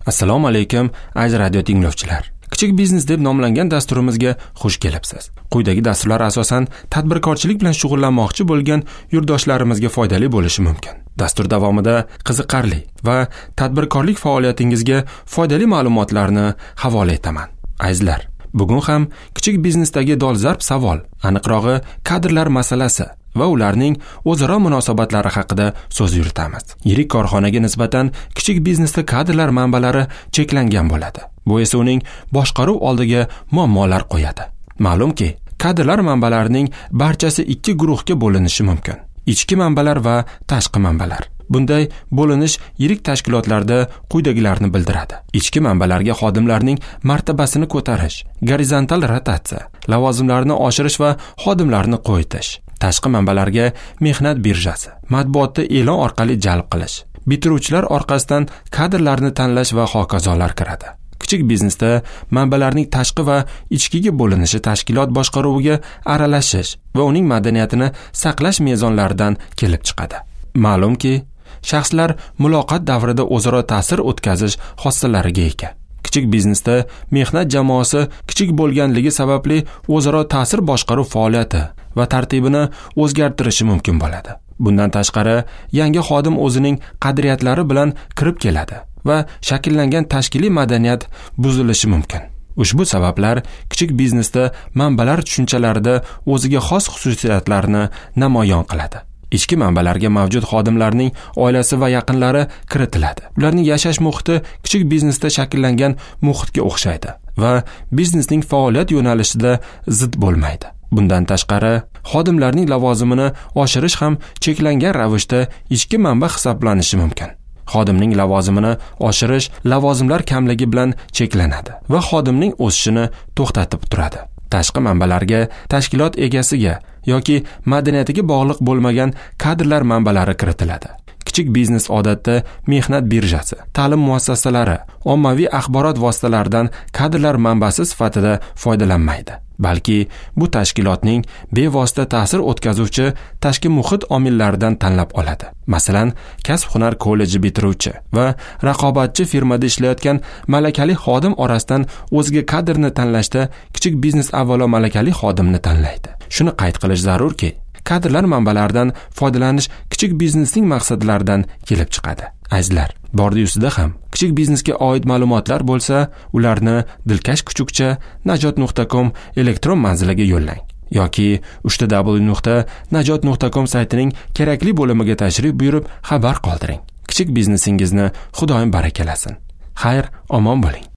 Assalomu alaykum, aziz radio tinglovchilar. Kichik biznes deb nomlangan dasturimizga xush kelibsiz. Quyidagi dasturlar asosan tadbirkorchilik bilan shug'ullanmoqchi bo'lgan yurtdoshlarimizga foydali bo'lishi mumkin. Dastur davomida qiziqarli va tadbirkorlik faoliyatingizga foydali ma'lumotlarni havola etaman. Azizlar, bugun ham kichik biznesdagi dolzarb savol, aniqrog'i kadrlar masalasi va ularning o'zaro munosabatlari haqida so'z yuritamiz. Yirik korxonaga nisbatan kichik biznesda kadrlar manbalari cheklangan bo'ladi. Bu esa uning boshqaruv oldiga muammolar qo'yadi. Ma'lumki, kadrlar manbalarining barchasi ikki guruhga bo'linishi mumkin: ichki manbalar va tashqi manbalar. Bunday bo'linish yirik tashkilotlarda quyidagilarni bildiradi. Ichki manbalarga xodimlarning martabasini ko'tarish, gorizontal rotatsiya, lavozimlarni oshirish va xodimlarni qo'yitish. Tashqi manbalarga mehnat birjasi, matbuotda e'lon orqali jalb qilish, bitiruvchilar orqasidan kadrlarni tanlash va hokazolar kiradi. Kichik biznesda manbalarning tashqi va ichkiga bo'linishi tashkilot boshqaruviga aralashish va uning madaniyatini saqlash mezonlaridan kelib chiqadi. Ma'lumki, shaxslar muloqot davrida o'zaro ta'sir o'tkazish xossalariga ega. Kichik biznesda mehnat jamoasi kichik bo'lganligi sababli o'zaro ta'sir boshqaruv faoliyati va tartibini o'zgartirishi mumkin bo'ladi. Bundan tashqari, yangi xodim o'zining qadriyatlari bilan kirib keladi va shakllangan tashkiliy madaniyat buzilishi mumkin. Ushbu sabablar kichik biznesda manbalar tushunchalarida o'ziga xos xususiyatlarni namoyon qiladi. Ichki manbalarga mavjud xodimlarning oilasi va yaqinlari kiritiladi. Ularning yashash muhiti kichik biznesda shakllangan muhitga o'xshaydi va biznesning faoliyat yo'nalishida zid bo'lmaydi. Bundan tashqari, xodimlarning lavozimini oshirish ham cheklangan ravishda ichki manba hisoblanishi mumkin. Xodimning lavozimini oshirish lavozimlar kamligi bilan cheklanadi va xodimning o'sishini to'xtatib turadi. Tashqi manbalarga tashkilot egasiga yoki madaniyatiga bog'liq bo'lmagan kadrlar manbalari kiritiladi. Kichik biznes odatda mehnat birjasi, ta'lim muassasalari, ommaviy axborot vositalaridan kadrlar manbasi sifatida foydalanmaydi, balki bu tashkilotning bevosita ta'sir o'tkazuvchi tashqi muhit omillaridan tanlab oladi. Masalan, kasb-hunar kolleji bitiruvchi va raqobatchi firmada ishlayotgan malakali xodim orasidan o'ziga kadrni tanlashda kichik biznes avvalo malakali xodimni tanlaydi. Shuni qayd qilish zarurki, kadrlar manbalaridan foydalanish kichik biznesning maqsadlaridan kelib chiqadi. Azizlar, bordi-yusida ham kichik biznesga oid ma'lumotlar bo'lsa, ularni dilkash kuchukcha najot.com elektron manziliga yo'llang yoki www.najot.com saytining kerakli bo'limiga tashrif buyurib xabar qoldiring. Kichik biznesingizni Xudoyim barakalasin. Xayr, omon bo'ling.